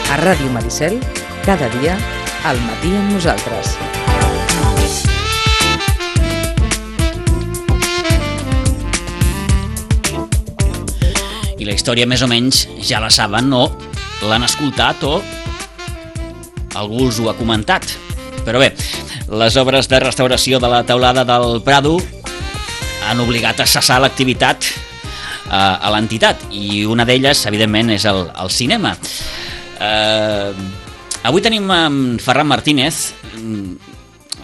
A Ràdio Maricel, cada dia, al matí amb nosaltres. I la història més o menys ja la saben o l'han escoltat o algú us ho ha comentat. Però bé, les obres de restauració de la teulada del Prado han obligat a cessar l'activitat a l'entitat i una d'elles, evidentment, és el cinema. Avui tenim en Ferran Martínez,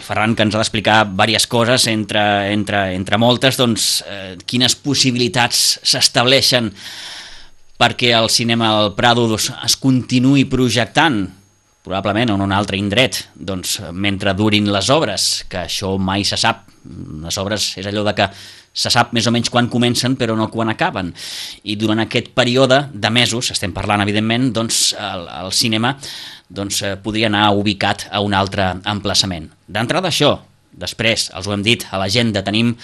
Ferran, que ens ha d'explicar diverses coses, entre moltes, doncs, quines possibilitats s'estableixen perquè el cinema del Prado es continuï projectant, probablement en un altre indret, doncs, mentre durin les obres, que això mai se sap. Les obres és allò de que se sap més o menys quan comencen però no quan acaben, i durant aquest període de mesos, estem parlant evidentment, doncs el cinema podria anar ubicat a un altre emplaçament. D'entrada això, després, els ho hem dit, a l'agenda tenim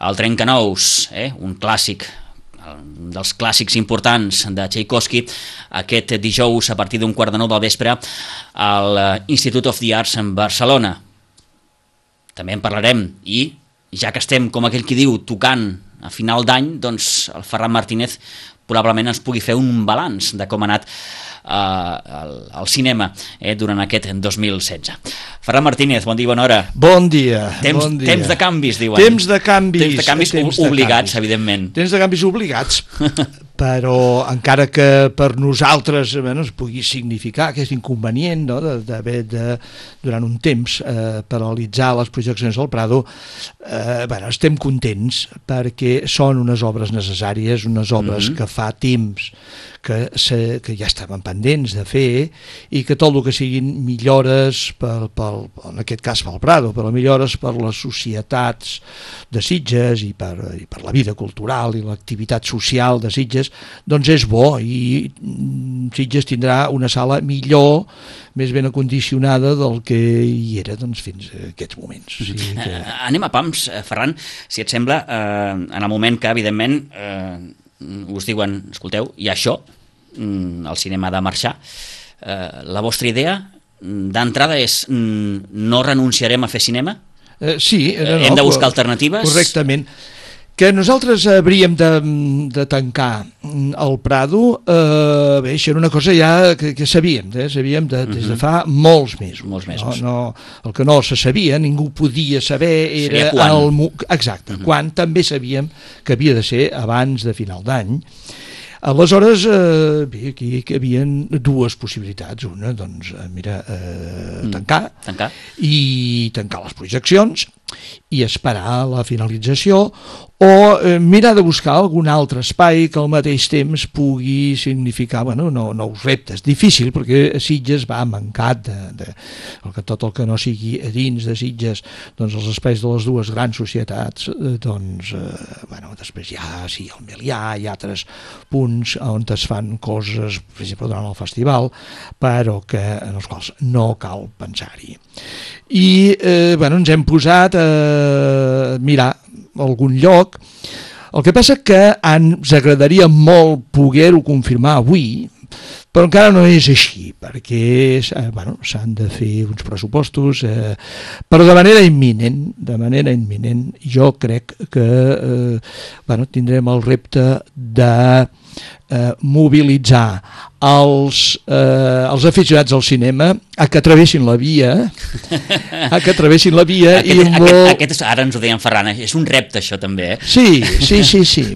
el Trencanous, un clàssic, un dels clàssics importants de Tchaikovsky, aquest dijous a partir d'un 8:45 del vespre a l'Institute of the Arts en Barcelona. També en parlarem, i ja que estem, com aquell qui diu, tocant a final d'any, doncs el Ferran Martínez probablement ens pugui fer un balanç de com ha anat el cinema durant aquest 2016. Ferran Martínez, bon dia, bona hora. Bon dia. Temps de canvis, diuen. Temps de canvis obligats, evidentment. Temps de canvis obligats, però encara que per nosaltres es pugui significar aquest inconvenient, no, d'haver durant un temps paralitzar les projeccions del Prado, estem contents perquè són unes obres necessàries, unes obres que fa temps que ja estaven pendents de fer, i que tot el que siguin millores en aquest cas pel Prado, però millores per les societats de Sitges i per la vida cultural i l'activitat social de Sitges, doncs és bo, i Sitges tindrà una sala millor, més ben acondicionada del que hi era fins a aquests moments. O sigui que... Anem a pams, Ferran, si et sembla, en el moment que, evidentment, us diuen, escolteu, hi ha això, el cinema ha de marxar. La vostra idea d'entrada és no renunciarem a fer cinema? Sí. Hem de buscar alternatives? Correctament. Que nosaltres hauríem de tancar el Prado, bé, això era una cosa ja que sabíem des de fa molts mesos. El que no se sabia, ningú podia saber, era quan. Exacte, quan també sabíem que havia de ser abans de final d'any. Aleshores, bé, aquí hi havia dues possibilitats. Una, doncs, tancar les projeccions i esperar la finalització, o mirar de buscar algun altre espai que al mateix temps pugui significar nous reptes. Difícil, perquè Sitges va mancat tot el que no sigui a dins de Sitges, doncs els espais de les dues grans societats, després hi ha el Melià i altres punts on es fan coses, per exemple, durant el festival, però en els quals no cal pensar-hi. I ens hem posat a mirar algun lloc. El que passa que ens agradaria molt poder-ho confirmar avui, però encara no és així, perquè s'han de fer uns pressupostos, però de manera imminent, jo crec que tindrem el repte de mobilitzar els aficionats al cinema a que travessin la via, Aquest ara ens ho deien, Ferran, és un repte això també, Sí,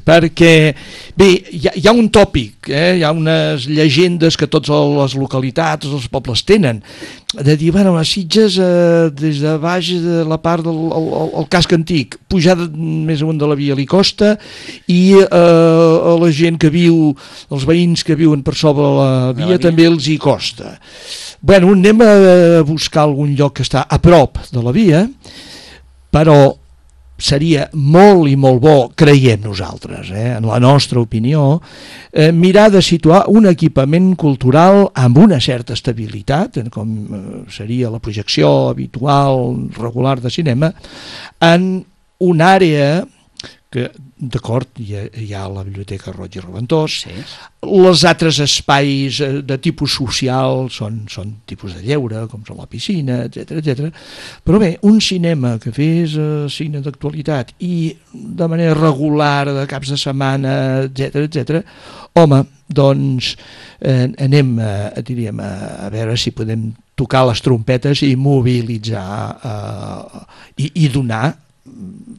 perquè bé, hi ha un tòpic, hi ha unes llegendes que totes les localitats, els pobles tenen, de dir, a Sitges, des de baix de la part del casc antic, pujar més amunt de la via li costa, i a la gent que viu, els veïns que viuen per sobre la via també els hi costa. Anem a buscar algun lloc que està a prop de la via, però seria molt i molt bo, creiem nosaltres, en la nostra opinió, mirar de situar un equipament cultural amb una certa estabilitat, com seria la projecció habitual, regular de cinema, en una àrea que, d'acord, hi ha la Biblioteca Roig i Reventós, Sí. els altres espais de tipus social són tipus de lleure, com són la piscina, etc. Però bé, un cinema que fes cine d'actualitat i de manera regular, de caps de setmana, etc., home, doncs anem diríem, a veure si podem tocar les trompetes i mobilitzar i donar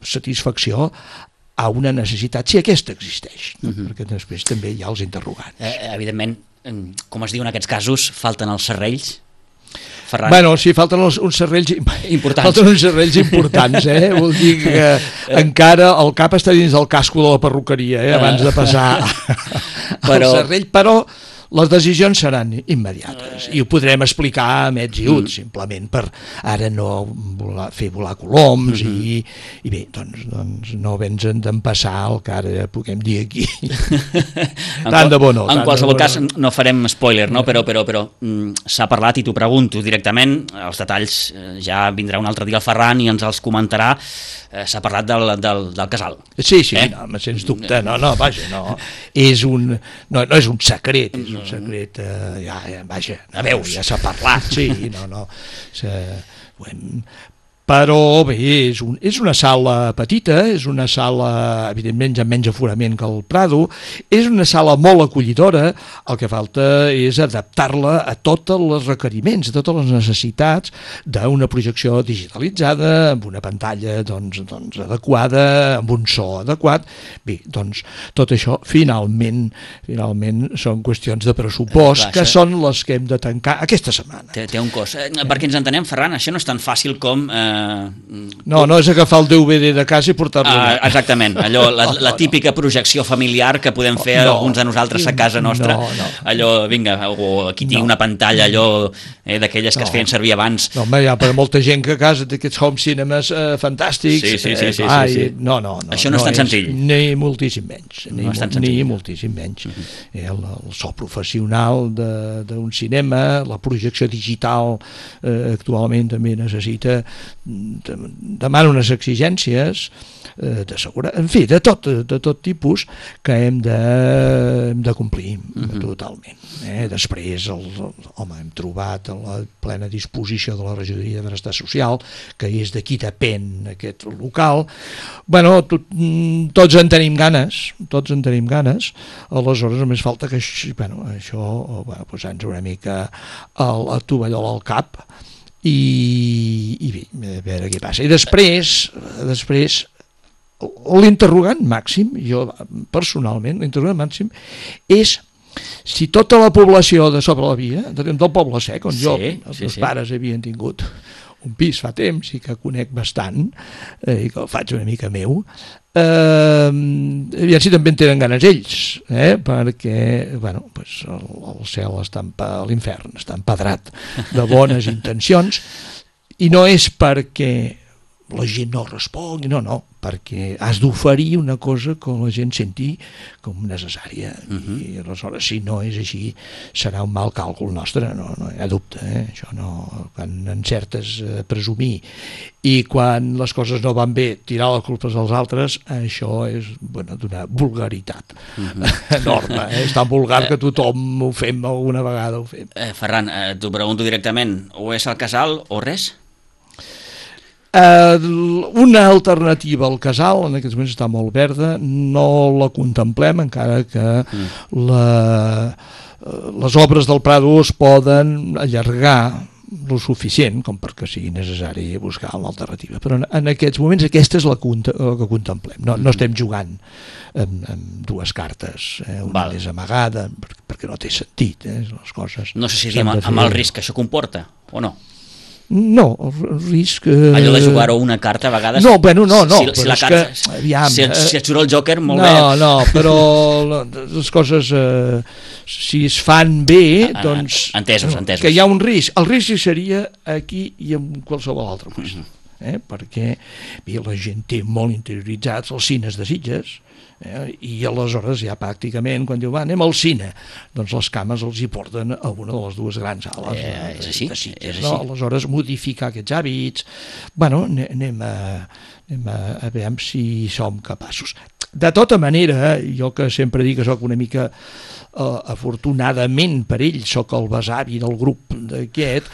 satisfacció a una necessitat, si aquesta existeix, perquè després també hi ha els interrogants. Evidentment, com es diu en aquests casos, falten els serrells, Ferran. Bueno, sí, falten uns serrells importants. Falten uns serrells importants, Vol dir que encara el cap està dins del casco de la perruqueria, abans de passar al serrell, però les decisions seran immediates i ho podrem explicar amb ets i uts, simplement per ara no fer volar coloms i bé, doncs no vens d'empassar el que ara puguem dir aquí. Tant de bo no. En qualsevol cas, no farem spoiler, no? Però s'ha parlat, i t'ho pregunto directament, els detalls ja vindrà un altre dia el Ferran i ens els comentarà. S'ha parlat del casal. Sí, no, sens dubte, vaja, no és un secret, és un secret, vaja, ja s'ha parlat, sí, però bé, és una sala petita, és una sala, evidentment, ja menys aforament que el Prado, és una sala molt acollidora, el que falta és adaptar-la a tots els requeriments, a totes les necessitats d'una projecció digitalitzada, amb una pantalla doncs adequada, amb un so adequat. Bé, doncs tot això finalment són qüestions de pressupost, que són les que hem de tancar aquesta setmana. Té un cost. Perquè ens entenem, Ferran, això no és tan fàcil com... No és agafar el DVD de casa i portar-lo. Exactament, allò, la típica projecció familiar que podem fer alguns de nosaltres a casa nostra. Allò, vinga, o aquí tinc una pantalla, allò d'aquelles que es feien servir abans. No, home, hi ha per molta gent que a casa té aquests home cinemes fantàstics. Sí. No. Això no és tan senzill. Ni moltíssim menys. Ni moltíssim menys. El so professional d'un cinema, la projecció digital actualment també necessita, demana unes exigències de seguretat, en fi, de tot tipus que hem de complir totalment. Després, hem trobat a la plena disposició de la Regidoria de Benestar Social, que és de qui depèn aquest local. Bueno, tots en tenim ganes, aleshores només falta que això posar-nos una mica el tovallola al cap i bé, a veure què passa. I després l'interrogant màxim, jo personalment, l'interrogant màxim és si tota la població de sobre la via, del Poble Sec, on els meus pares havien tingut un pis fa temps i que conec bastant i que el faig una mica meu, aviam si també en tenen ganes ells, perquè el cel l'infern està empedrat de bones intencions, i no és perquè la gent no respongui, no, perquè has d'oferir una cosa que la gent senti com necessària, i aleshores si no és així serà un mal càlcul nostre, no hi ha dubte, això no, quan encertes presumir i quan les coses no van bé tirar les culpes als altres, això és d'una vulgaritat enorme, és tan vulgar que tothom ho fem alguna vegada. Ferran, t'ho pregunto directament, o és el casal o res? Una alternativa al casal en aquests moments està molt verda, no la contemplem, encara que les obres del Prado es poden allargar lo suficient com perquè sigui necessari buscar una alternativa, però en aquests moments aquesta és la que contemplem, no estem jugant amb dues cartes, una és amagada perquè no té sentit les coses. No sé si diem amb el risc que això comporta o no. No, el risc... Allò de jugar-ho una carta a vegades... No. Si la carta... Si et surt el Joker, molt bé. No, però les coses, si es fan bé, doncs... Entesos. Que hi ha un risc. El risc seria aquí i en qualsevol altre lloc. perquè bé, la gent té molt interioritzats els cines de Sitges, i aleshores ja pràcticament quan diu anem al cine, doncs les cames els hi porten a una de les dues grans sales és així, de Sitges, és així. no? Aleshores modificar aquests hàbits, bueno, anem a veure si som capaços. De tota manera, jo que sempre dic que sóc una mica afortunadament per ell sóc el besavi del grup d'aquest,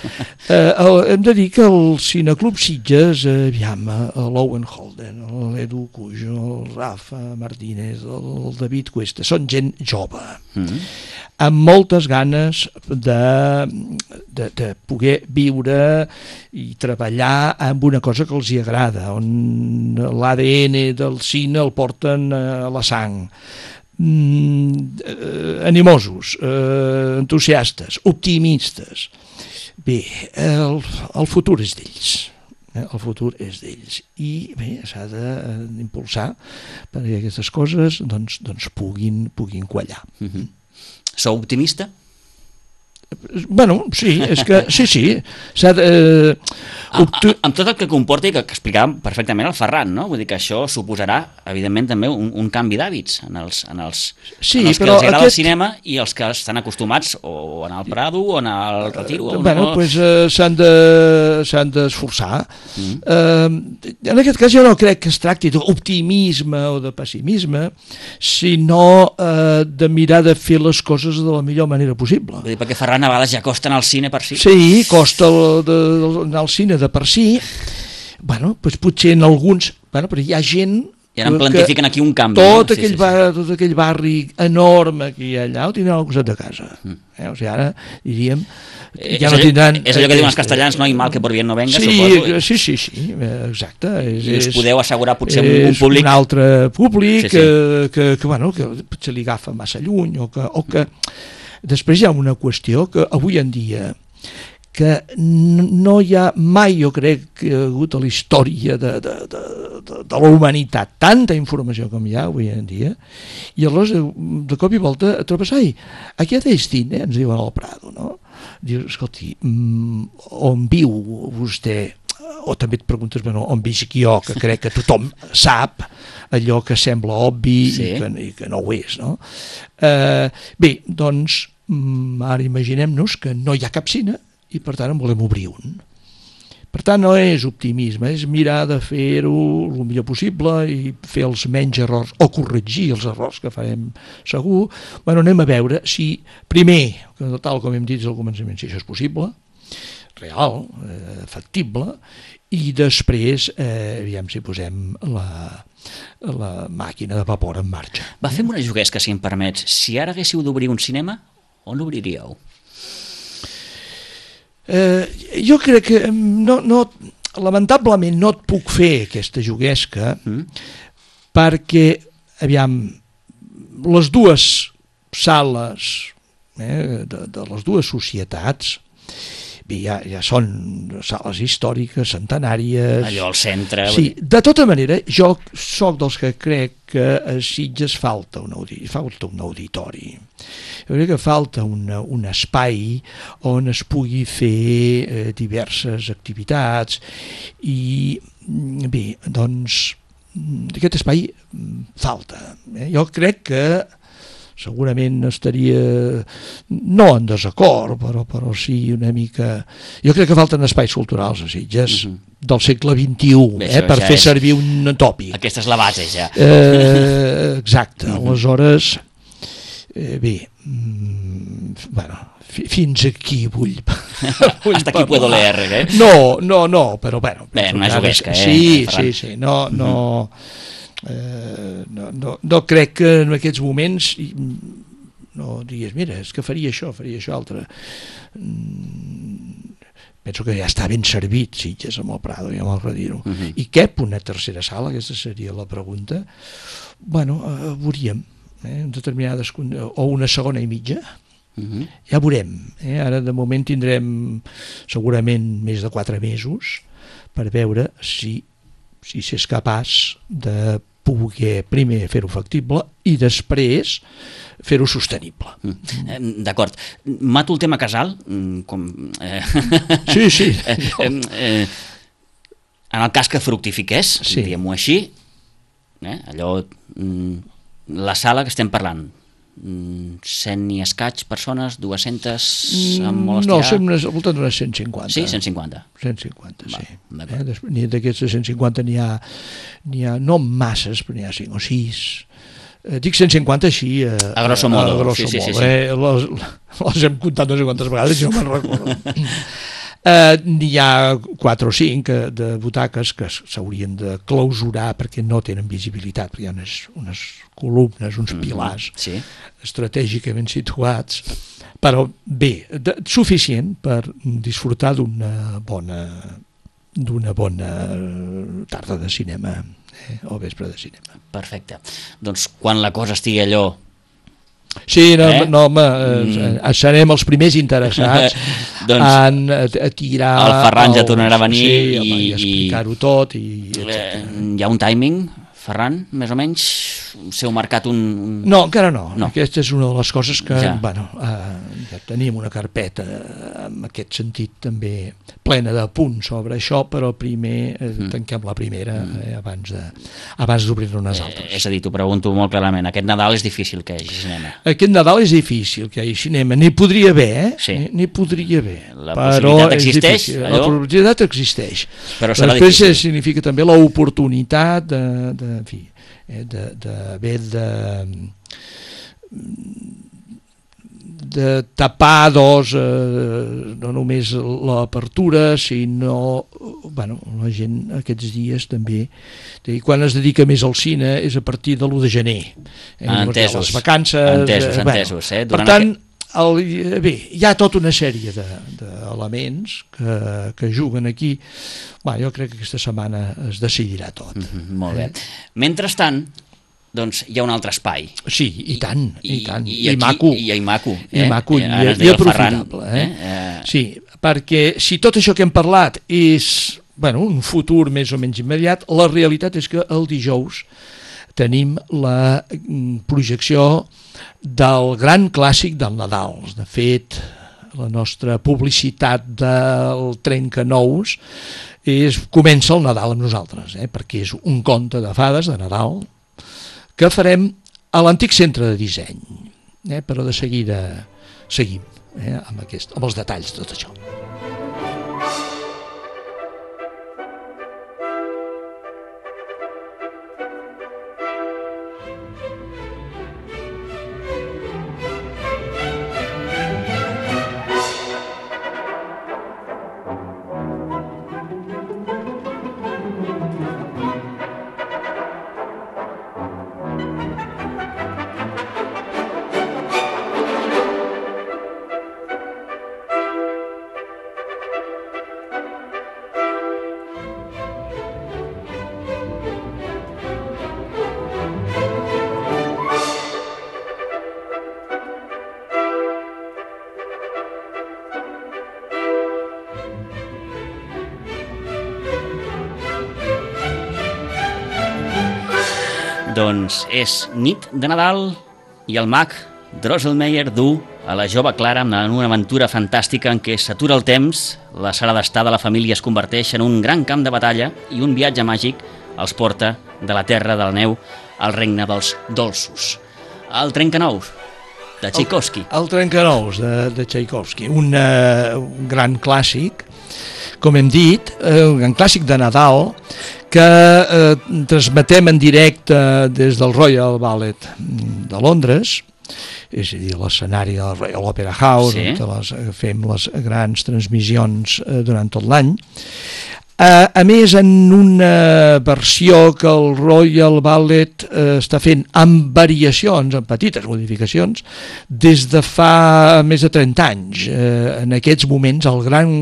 hem de dir que el Cineclub Sitges, aviam, l'Owen Holden, l'Edu Cujo, el Rafa Martínez, el David Cuesta, són gent jove, amb moltes ganes de poder viure i treballar amb una cosa que els hi agrada, on l'ADN del cine el porten a la sang. Animosos, entusiastes, optimistes. Bé, el futur és d'ells. El futur és d'ells. I bé, s'ha d'impulsar perquè aquestes coses doncs puguin quallar. Sou optimista? Bueno, sí, és que sí. Amb tot el que comporta i que explicàvem perfectament el Ferran, no? Vull dir que això suposarà, evidentment, també un canvi d'hàbits en els que els agrada el cinema i els que estan acostumats o a anar al Prado o a anar al Retiro. Doncs s'han d'esforçar. En aquest cas jo no crec que es tracti d'optimisme o de pessimisme, sinó de mirar de fer les coses de la millor manera possible. Vull dir, perquè Ferran a vegades ja costa anar al cine per si. Sí, costa anar al cine de per si. Bueno, doncs potser en alguns... Bueno, però hi ha gent... I ara em plantifiquen aquí un canvi. Tot aquell barri enorme que hi ha allà ho tindran al costat de casa. O sigui, ara diríem... Ja no tindran... És allò que diuen els castellans, no? I mal que por bien no venga, suposo. Sí, exacte. I us podeu assegurar potser un públic... Un altre públic que potser li agafa massa lluny o que després hi ha una qüestió que avui en dia que no hi ha mai, jo crec, que ha hagut a la història de la humanitat tanta informació com hi ha avui en dia, i aleshores de cop i volta et trobes, aquí a Destine, ens diuen al Prado, no? Dius, escolti, on viu vostè? O també et preguntes, on visc jo, que crec que tothom sap allò que sembla obvi i que no ho és, no? Bé, doncs, ara imaginem-nos que no hi ha cap cine i per tant en volem obrir un. Per tant no és optimisme, és mirar de fer-ho el millor possible i fer els menys errors o corregir els errors que farem segur. Anem a veure si primer, tal com hem dit al començament, si això és possible, real, factible, i després aviam si posem la màquina de vapor en marxa. Fem una juguesca, si em permets. Si ara haguéssiu d'obrir un cinema, on l'obriríeu? Jo crec que lamentablement no et puc fer aquesta juguesca perquè, aviam, les dues sales de les dues societats ja són sales històriques, centenàries... Allò al centre... Sí, de tota manera, jo sóc dels que crec que a Sitges falta un auditori. Jo crec que falta un espai on es pugui fer diverses activitats i, bé, doncs, aquest espai falta. Jo crec que segurament estaria no en desacord, però sí una mica... Jo crec que falten espais culturals a Sitges del segle XXI, per fer servir un tòpic. Aquesta és la base, ja. Exacte. Aleshores, bé, fins aquí vull... Hasta aquí puedo leer, eh? No, però bueno... Bé, una juguesca, Sí, no... No crec que en aquests moments no digues, mira, és que faria això altre. Penso que ja està ben servit Sitges amb el Prado i amb el Retiro. I cap una tercera sala? Aquesta seria la pregunta. Veuríem determinades, o una segona i mitja. Ja veurem. Ara de moment tindrem segurament més de 4 mesos per veure si s'és capaç de poder primer fer-ho factible i després fer-ho sostenible. D'acord. Mato el tema casal. Sí. En el cas que fructifiqués, Sí. diguem-ho així, allò, la sala que estem parlant, 100 i escaig persones, 200 amb molt No, estirar? som al voltant d'unes 150. Sí, 150. 150, sí. d'acord. D'aquests 150 n'hi ha no masses, però n'hi ha 5 o 6. Dic 150 així A grosso modo, a grosso sí. modo. Les hem comptat no sé quantes vegades, si no me'n recordo. N'hi ha 4 o 5 de butaques que s'haurien de clausurar perquè no tenen visibilitat, perquè hi ha unes columnes, uns pilars Sí. estratègicament situats, però bé, suficient per disfrutar d'una bona tarda de cinema o vespre de cinema. Perfecte. Doncs quan la cosa estigui allò... Sí, home, serem els primers interessats doncs, a tirar... el Ferran ja tornarà a venir i explicar-ho tot. Hi ha un timing, Ferran, més o menys? S'heu marcat un... No, encara no. No. Aquesta és una de les coses que, Ja. Ja tenim una carpeta en aquest sentit també plena de punts sobre això, però primer tanquem la primera abans d'obrir-ne unes altres. És a dir, t'ho pregunto molt clarament, aquest Nadal és difícil que hi hagi cinema. Aquest Nadal és difícil que hi hagi cinema, n'hi podria haver, Sí. n'hi podria haver. La possibilitat existeix, allò? La possibilitat existeix. Però serà després difícil. significa també l'oportunitat de tapar no només l'apertura, sinó la gent aquests dies també, quan es dedica més al cine és a partir de l'1 de gener. Entesos. Les vacances... Entesos. Per tant, hi ha tota una sèrie d'elements que juguen aquí. Jo crec que aquesta setmana es decidirà tot. Molt bé. Mentrestant, doncs hi ha un altre espai. Sí, i tant. I maco. I maco. I maco, i aprofitable. Sí, perquè si tot això que hem parlat és un futur més o menys immediat, la realitat és que el dijous tenim la projecció del gran clàssic del Nadal. De fet, la nostra publicitat del Trencanous comença el Nadal amb nosaltres, perquè és un conte de fades de Nadal que farem a l'antic centre de disseny, però de seguida seguim amb els detalls de tot això. Doncs és nit de Nadal i el mag Drosselmeyer du a la jove Clara en una aventura fantàstica en què s'atura el temps, la sala d'estar de la família es converteix en un gran camp de batalla i un viatge màgic els porta de la terra de la neu al regne dels dolços. El Trencanous, de Tchaikovsky. El Trencanous, de Tchaikovsky, un gran clàssic, com hem dit, un gran clàssic de Nadal, que transmetem en directe des del Royal Ballet de Londres, és a dir, l'escenari del Royal Opera House, on fem les grans transmissions durant tot l'any. A més, en una versió que el Royal Ballet està fent amb variacions, amb petites modificacions, des de fa més de 30 anys. En aquests moments, el gran...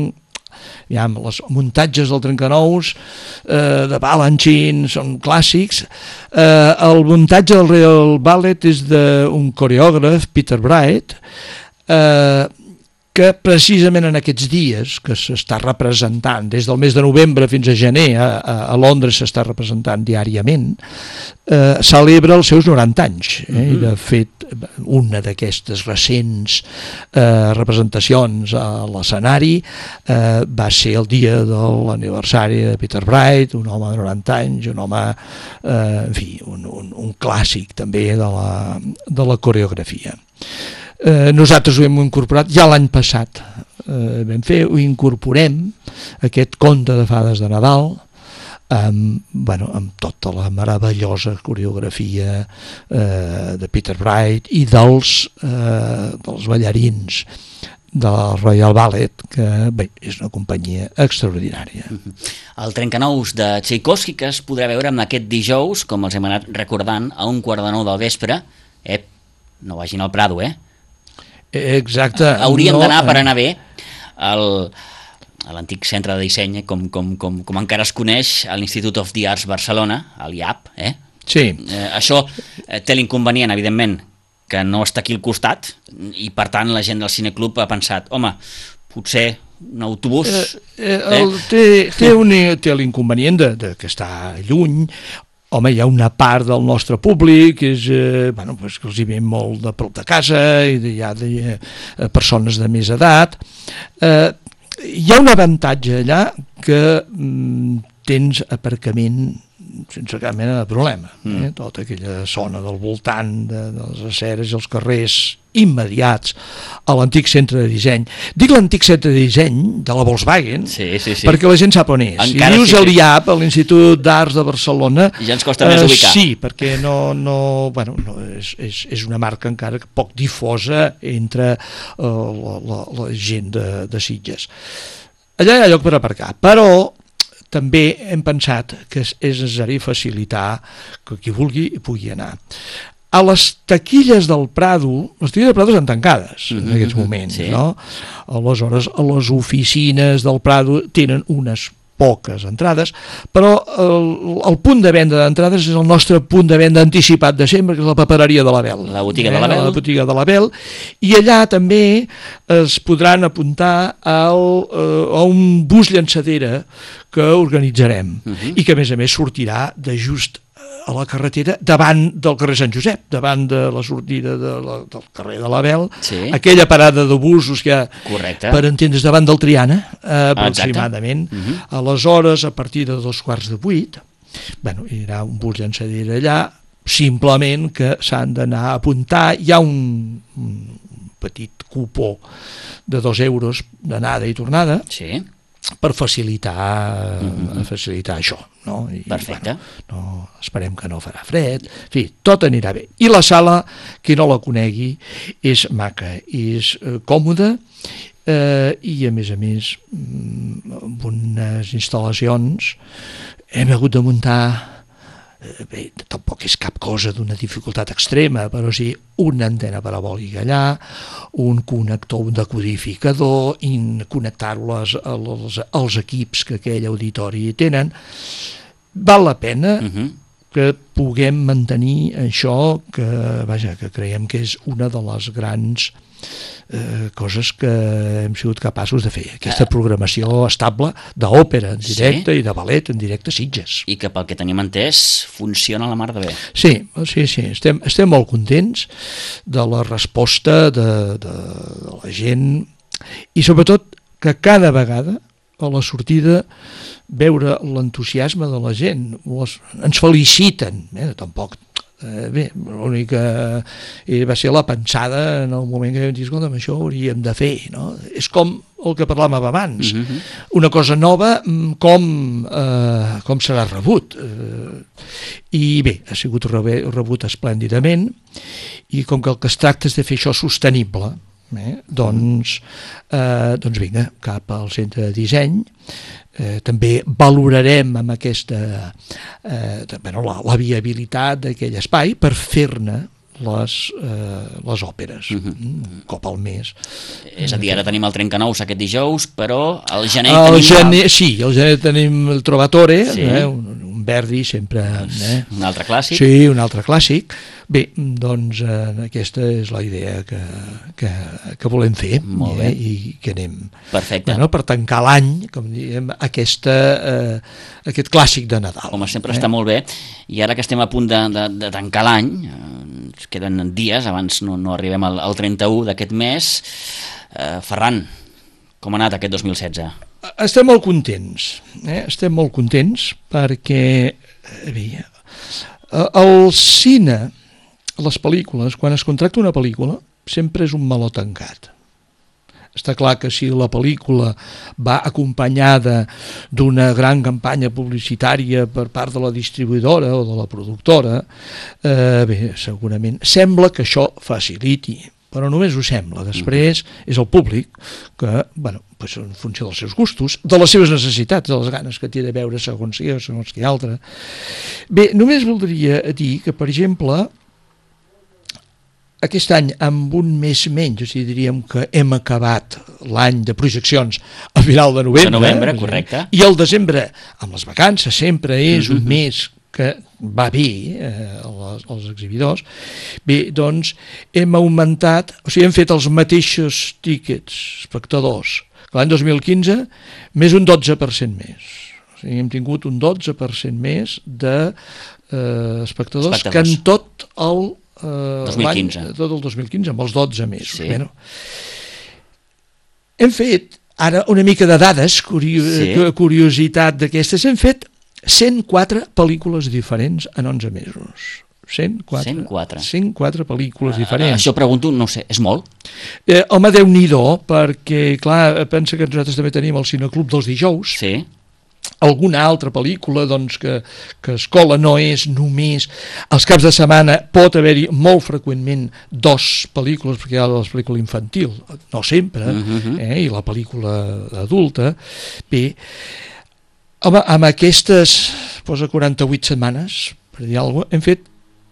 els muntatges del Trencanous de Balanchine són clàssics. El muntatge del Royal Ballet és d'un coreògraf, Peter Bright, que que precisament en aquests dies que s'està representant, des del mes de novembre fins a gener, a Londres s'està representant diàriament, celebra els seus 90 anys. I de fet, una d'aquestes recents representacions a l'escenari va ser el dia de l'aniversari de Peter Bright, un home de 90 anys, un home, en fi, un clàssic també de la coreografia. Nosaltres ho hem incorporat ja l'any passat, ho incorporem, aquest conte de fades de Nadal, amb tota la meravellosa coreografia de Peter Bright i dels ballarins del Royal Ballet, que bé, és una companyia extraordinària. El Trencanous de Tchaikovsky, que es podrà veure amb aquest dijous, com els hem anat recordant, a 1:45 del vespre. No vagin al Prado, Exacte. Hauríem d'anar per anar bé a l'antic centre de disseny, com encara es coneix, a l'Institute of the Arts Barcelona, a l'IAP. Sí. Això té l'inconvenient, evidentment, que no està aquí al costat, i per tant la gent del Cineclub ha pensat, home, potser un autobús... Té l'inconvenient de que està lluny. Home, hi ha una part del nostre públic que els hi ve molt de prop de casa, i hi ha persones de més edat. Hi ha un avantatge allà, que tens aparcament sense cap mena de problema. Tota aquella zona del voltant de les aceres i els carrers immediats a l'antic centre de disseny. Dic l'antic centre de disseny de la Volkswagen, perquè la gent sap on és. Si dius a l'IAP, a l'Institut d'Arts de Barcelona, ja ens costa més ubicar. Sí, perquè és una marca encara poc difosa entre la gent de Sitges. Allà hi ha lloc per aparcar, però també hem pensat que és necessari facilitar que qui vulgui pugui anar. A les taquilles del Prado, les taquilles del Prado estan tancades en aquests moments, no? Aleshores, les oficines del Prado tenen unes poques entrades, però el punt de venda d'entrades és el nostre punt de venda anticipat de sempre, que és la papereria de l'Abel. La botiga de l'Abel. La botiga de l'Abel, i allà també es podran apuntar a un bus llançadera que organitzarem, i que a més sortirà de just a la carretera davant del carrer Sant Josep, davant de la sortida del carrer de l'Abel, aquella parada de busos que, per entendre's, davant del Triana, aproximadament. Aleshores, a partir de 7:15, hi haurà un bus llançadera allà, simplement que s'han d'anar a apuntar. Hi ha un petit cupó de 2 euros d'anada i tornada, per facilitar això, no? Perfecte. Esperem que no farà fred, en fi, tot anirà bé. I la sala, qui no la conegui, és maca, és còmoda, i a més amb unes instal·lacions hem hagut de muntar, bé, tampoc és cap cosa d'una dificultat extrema, però sí una antena parabòlica allà, un connector, un decodificador, i connectar-lo als equips que aquell auditori tenen. Val la pena que puguem mantenir això, que creiem que és una de les grans coses que hem sigut capaços de fer, aquesta programació estable d'òpera en directe i de ballet en directe a Sitges. I que pel que tenim entès funciona a la mar de bé. Sí, estem molt contents de la resposta de la gent, i sobretot que cada vegada a la sortida veure l'entusiasme de la gent, ens feliciten, tampoc bé, l'únic que va ser la pensada en el moment que vam dir, escolta, això ho hauríem de fer, no? És com el que parlàvem abans, una cosa nova, com serà rebut, i bé, ha sigut rebut esplèndidament, i com que el que es tracta és de fer això sostenible, doncs vinga, cap al centre de disseny. També valorarem amb aquesta la viabilitat d'aquell espai per fer-ne les òperes un cop al mes. És a dir, ara tenim el Trencanous aquest dijous, però al gener tenim... Sí, al gener tenim el Trovatore, un Verdi sempre... Un altre clàssic. Sí, un altre clàssic. Bé, doncs aquesta és la idea que volem fer. Molt bé. I que anem... Perfecte. Bueno, per tancar l'any, com diem, aquest clàssic de Nadal. Home, sempre està molt bé. I ara que estem a punt de tancar l'any, ens queden dies, abans no arribem al 31 d'aquest mes. Ferran, com ha anat aquest 2016? Estem molt contents, perquè el cine, les pel·lícules, quan es contracta una pel·lícula, sempre és un meló tancat. Està clar que si la pel·lícula va acompanyada d'una gran campanya publicitària per part de la distribuïdora o de la productora, segurament sembla que això faciliti, però només ho sembla. Després és el públic que, en funció dels seus gustos, de les seves necessitats, de les ganes que té de veure segons qui altre. Bé, només voldria dir que, per exemple, aquest any, amb un mes menys, o sigui, diríem que hem acabat l'any de projeccions a final de novembre. De novembre, correcte. I el desembre, amb les vacances, sempre és un mes que va bé als exhibidors. Bé, doncs hem augmentat, o sigui, hem fet els mateixos tíquets espectadors que l'any 2015, més un 12% més. O sigui, hem tingut un 12% més d'espectadors que en tot el 2015. Tot el 2015, amb els 12 mesos. Sí. Bueno, hem fet, ara una mica de dades, curiositat d'aquestes, hem fet 104 pel·lícules diferents en 11 mesos. 104 pel·lícules diferents. Això pregunto, no sé, és molt? Home, Déu-n'hi-do, perquè, clar, pensa que nosaltres també tenim el Cineclub dels dijous. Sí. Alguna altra pel·lícula doncs, que escola no és només els caps de setmana, pot haver-hi molt freqüentment 2 pel·lícules, perquè hi ha la pel·lícula infantil, no sempre, i la pel·lícula adulta. Bé, home, amb aquestes 48 setmanes, per dir alguna cosa, hem fet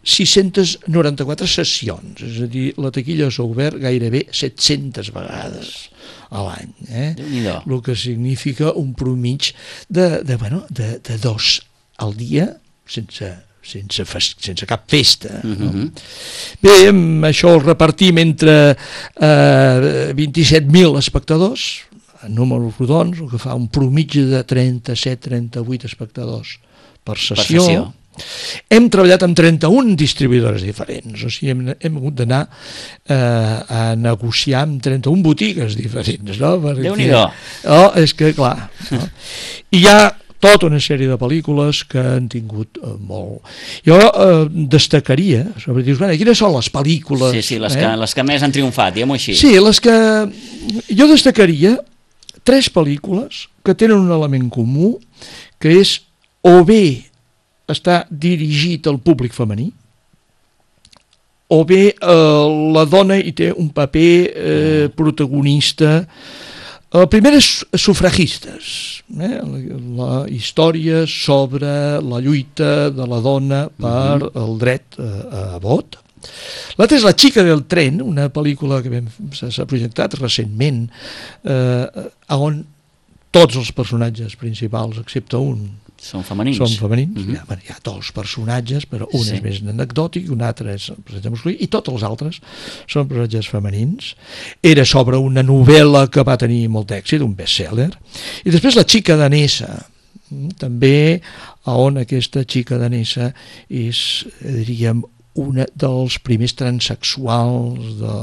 694 sessions, és a dir, la taquilla s'ha obert gairebé 700 vegades a l'any, el que significa un promig de 2 al dia sense cap festa. Bé, això el repartim entre 27.000 espectadors, en números rodons, el que fa un promig de 37-38 espectadors per sessió. Hem treballat amb 31 distribuïdores diferents, o sigui, hem hagut d'anar a negociar amb 31 botigues diferents, no? Déu-n'hi-do. És que, clar, no? I hi ha tota una sèrie de pel·lícules que han tingut molt. Jo destacaria, sobre dir, quines són les pel·lícules... Sí, les que més han triomfat, diguem-ho així. Sí, les que... Jo destacaria 3 pel·lícules que tenen un element comú, que és o bé està dirigit al públic femení, o bé la dona hi té un paper protagonista. La primera és Sufragistes, la història sobre la lluita de la dona per el dret a vot. L'altra és La xica del tren, una pel·lícula que s'ha projectat recentment, on tots els personatges principals, excepte un, són femenins. Hi ha 2 personatges, però un és més anecdòtic, un altre és el personatge masculí, i tots els altres són personatges femenins. Era sobre una novel·la que va tenir molt d'èxit, un best-seller. I després La xica danesa, també on aquesta xica danesa és, diríem, una dels primers transsexuals de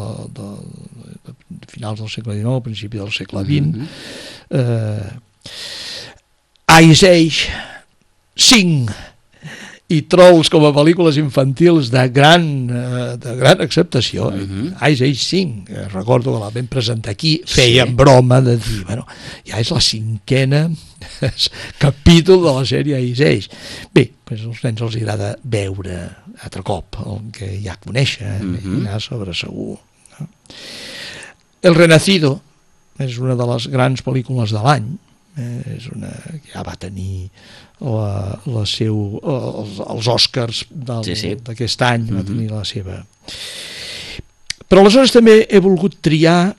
finals del segle XIX, principi del segle XX. Ice Age 5 i Trolls com a pel·lícules infantils de gran acceptació. Ice Age 5, recordo que la vam presentar aquí, feien broma de dir, ja és la 5è capítol de la sèrie Ice Age. Bé, als nens els agrada veure altre cop el que ja coneixen, ja sobre segur. El Renacido és una de les grans pel·lícules de l'any, és una que ja va tenir els Oscars d'aquest any, va tenir la seva. Però aleshores també he volgut triar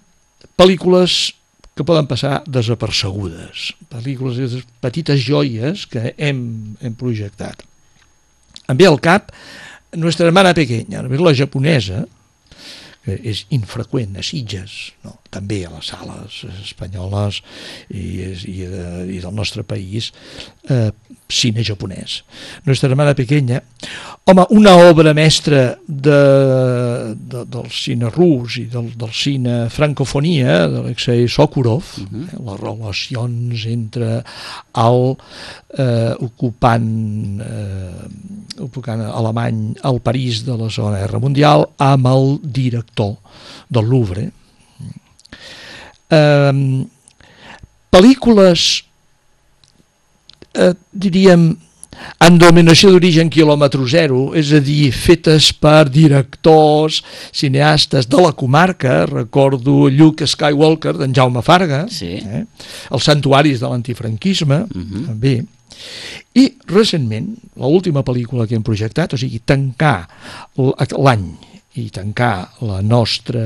pel·lícules que poden passar desapercebudes, pel·lícules, petites joies que hem projectat. Em ve al cap Nuestra hermana pequeña, la japonesa, que és infreqüent a Sitges, no? També a les sales espanyoles i del nostre país, cine japonès. Nuestra hermana pequeña, home, una obra mestra del cine rus i del cine francofonia d'Alexei Sokurov, les relacions entre el ocupant alemany al París de la Segona Guerra Mundial amb el director del Louvre. Pel·lícules, diríem, en denominació d'origen quilòmetre zero, és a dir, fetes per directors, cineastes de la comarca. Recordo Luke Skywalker d'en Jaume Farga, Els santuaris de l'antifranquisme, també. I recentment, l'última pel·lícula que hem projectat, o sigui, tancar l'any i tancar la nostra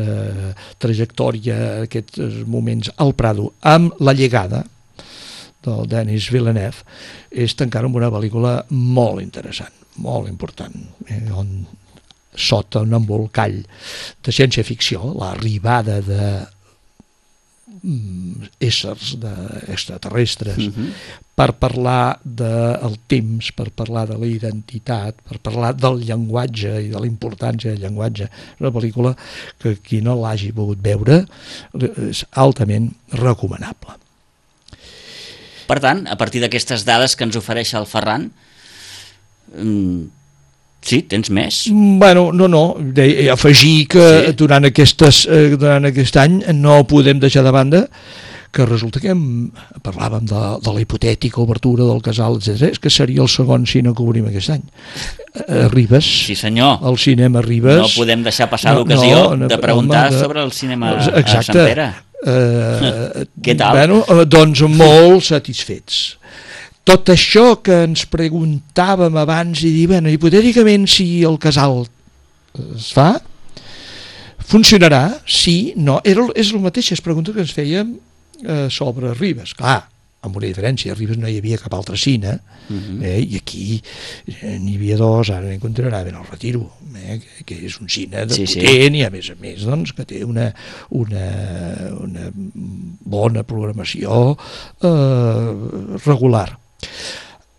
trajectòria, aquests moments al Prado, amb La llegada del Denis Villeneuve, és tancar amb una pel·lícula molt interessant, molt important, on sota un embolcall de ciència-ficció, l'arribada de éssers extraterrestres, per parlar del temps, per parlar de la identitat, per parlar del llenguatge i de la importància del llenguatge. És una pel·lícula que qui no l'hagi pogut veure és altament recomanable. Per tant, a partir d'aquestes dades que ens ofereix el Ferran, sí, tens més? Bueno, no. Afegir que durant aquest any no podem deixar de banda que resulta que parlàvem de la hipotètica obertura del Casal, etc. És que seria el segon cine que obrim aquest any. A Ribes. Sí, senyor. El cinema Ribes. No podem deixar passar l'ocasió de preguntar sobre el cinema a Sant Pere. Què tal? Bueno, doncs molt satisfets. Tot això que ens preguntàvem abans i dir, bueno, hipotèticament si el Casal es fa, funcionarà? Sí, no. És el mateix, és pregunta que ens fèiem sobre Ribes. Clar, amb una diferència, a Ribes no hi havia cap altre cine, i aquí n'hi havia dos, ara n'encontrarà ben el Retiro, que és un cine potent i a més doncs, que té una bona programació regular.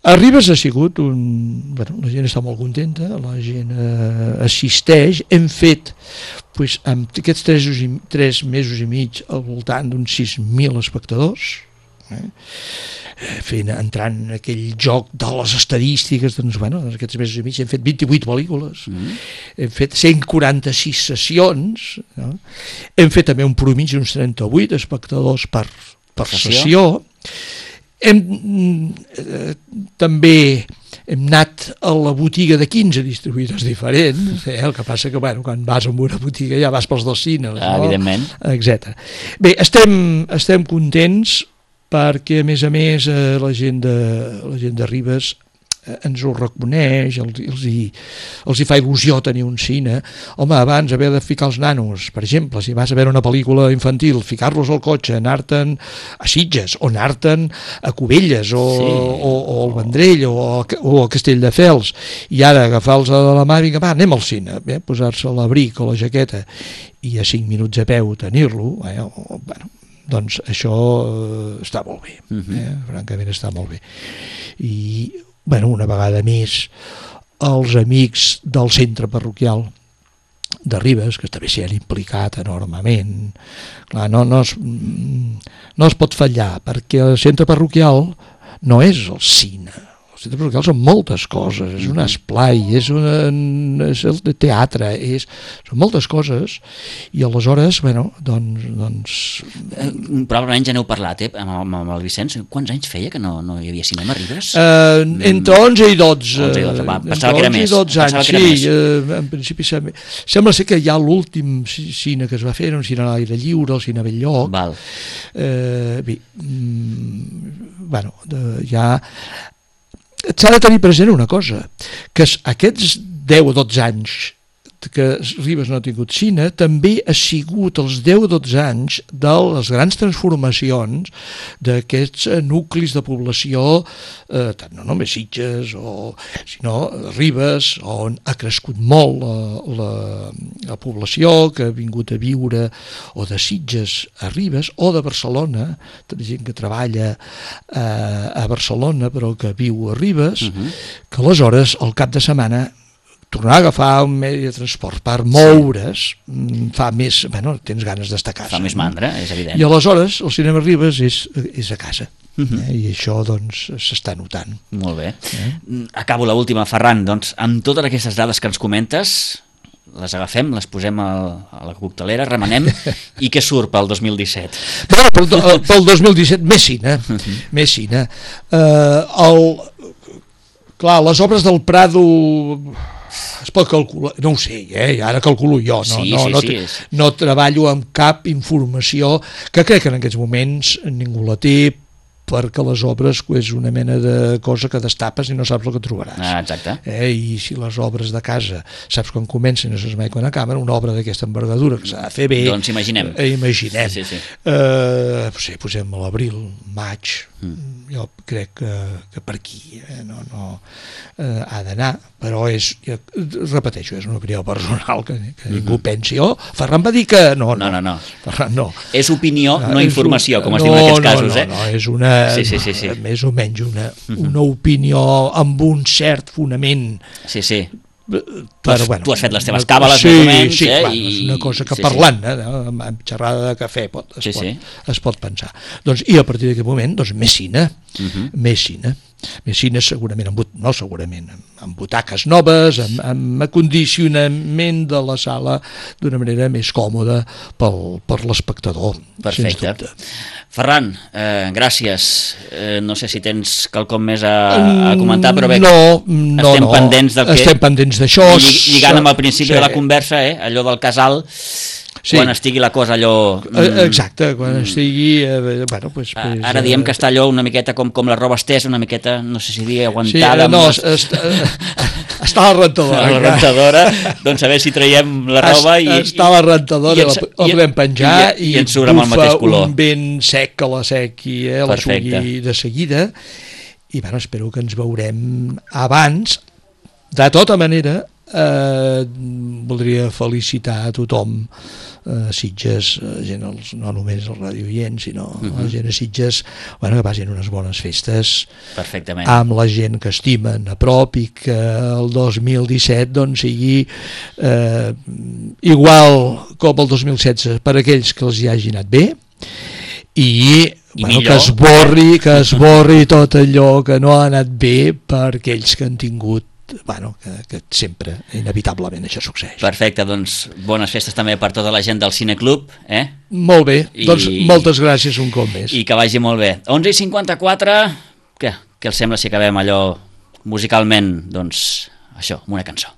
A Ribes ha sigut la gent està molt contenta, la gent assisteix. Hem fet amb aquests 3 mesos i mig al voltant d'uns 6.000 espectadors, entrant en aquell joc de les estadístiques. Doncs, en aquests mesos i mig hem fet 28 pel·lícules, hem fet 146 sessions, hem fet també un promigi d'uns 38 espectadors per sessió. També hem anat a la botiga de 15 distribuïdors diferents, el que passa que quan vas a una botiga ja vas pels dos cines, evidentment, etc. Bé, estem contents perquè a més la gent de Ribes ens ho reconeix, els hi fa il·lusió tenir un cine. Home, abans haver de ficar els nanos, per exemple, si vas a veure una pel·lícula infantil, ficar-los al cotxe, anar-te'n a Sitges, o anar-te'n a Cubelles, o al Vendrell, o a Castelldefels, i ara agafar-los de la mà, vinga, anem al cine, posar-se l'abric o la jaqueta, i a 5 minuts a peu tenir-lo, doncs això està molt bé, francament està molt bé. I una vegada més, els amics del centre parroquial de Ribes, que també s'hi han implicat enormement. Clar, no es pot fallar, perquè el centre parroquial no és el cine. El centre parroquial són moltes coses, és un esplai, és el teatre, són moltes coses, i aleshores, doncs... Probablement ja n'heu parlat, amb el Vicenç. Quants anys feia que no hi havia cinema a Ribes? Entre 11 i 12. Pensava que era més. Sí, en principi sembla ser que ja l'últim cine que es va fer era un cine a l'aire lliure, el cine Belllloc. Bé, ja... S'ha de tenir present una cosa, que aquests 10 o 12 anys que Ribes no ha tingut cine, també ha sigut els 10-12 anys de les grans transformacions d'aquests nuclis de població, no només Sitges, sinó Ribes, on ha crescut molt la població que ha vingut a viure o de Sitges a Ribes, o de Barcelona, de gent que treballa a Barcelona però que viu a Ribes, que aleshores al cap de setmana tornar a agafar un medi de transport per moure's fa més, tens ganes d'estar a casa. Fa més mandra, és evident. I aleshores el cinema Ribes és a casa. I això doncs s'està notant. Molt bé. Acabo l'última, Ferran, doncs amb totes aquestes dades que ens comentes, les agafem, les posem a la coctelera, remenem, i què surt pel 2017? Pel 2017 més cine. Més cine. Clar, les obres del Prado es pot calcular, no ho sé, ara calculo jo, no treballo amb cap informació que crec que en aquests moments ningú la té, perquè les obres és una mena de cosa que destapes i no saps el que trobaràs. Exacte. I si les obres de casa saps quan comencen i no saps mai quan acaben, una obra d'aquesta envergadura que s'ha de fer bé... Doncs imaginem. Sí. Posem a l'abril, maig, jo crec que per aquí ha d'anar, però repeteixo, és una opinió personal que ningú pensi, Ferran va dir que... No. Ferran no. És opinió, no informació, com es diu en aquests casos. No, és una... més o menys una opinió amb un cert fonament. Sí. Tu has fet les teves càbales més o menys. És una cosa que parlant, amb xerrada de cafè es pot pensar. I a partir d'aquest moment, més cine, més cine segurament, amb butaques noves, amb acondicionament de la sala d'una manera més còmoda per l'espectador. Perfecte. Ferran, gràcies. No sé si tens quelcom més a comentar, però bé, estem pendents del que... Estem pendents d'això. Lligant amb el principi de la conversa, allò del casal... quan estigui la cosa allò... Exacte, quan estigui... Ara diem que està allò una miqueta com la roba estesa, una miqueta, no sé si dir, aguantada... Està a la rentadora. A la rentadora, doncs a veure si traiem la roba i... Està a la rentadora, la podem penjar i ens surt amb el mateix color. Un vent sec que la sequi, la sugui de seguida, i espero que ens veurem abans. De tota manera, voldria felicitar a tothom, Sitges, gent, no només el radioient, sinó la gent a Sitges, que passin unes bones festes. Perfectament. Amb la gent que estimen a prop i que el 2017 sigui igual com el 2016 per aquells que els hi hagi anat bé i que esborri tot allò que no ha anat bé per aquells que han tingut que sempre, inevitablement, això succeeix. Perfecte, doncs bones festes també per tota la gent del Cineclub. Molt bé, doncs moltes gràcies un cop més. I que vagi molt bé. 11:54, què els sembla si acabem allò musicalment, doncs això, amb una cançó?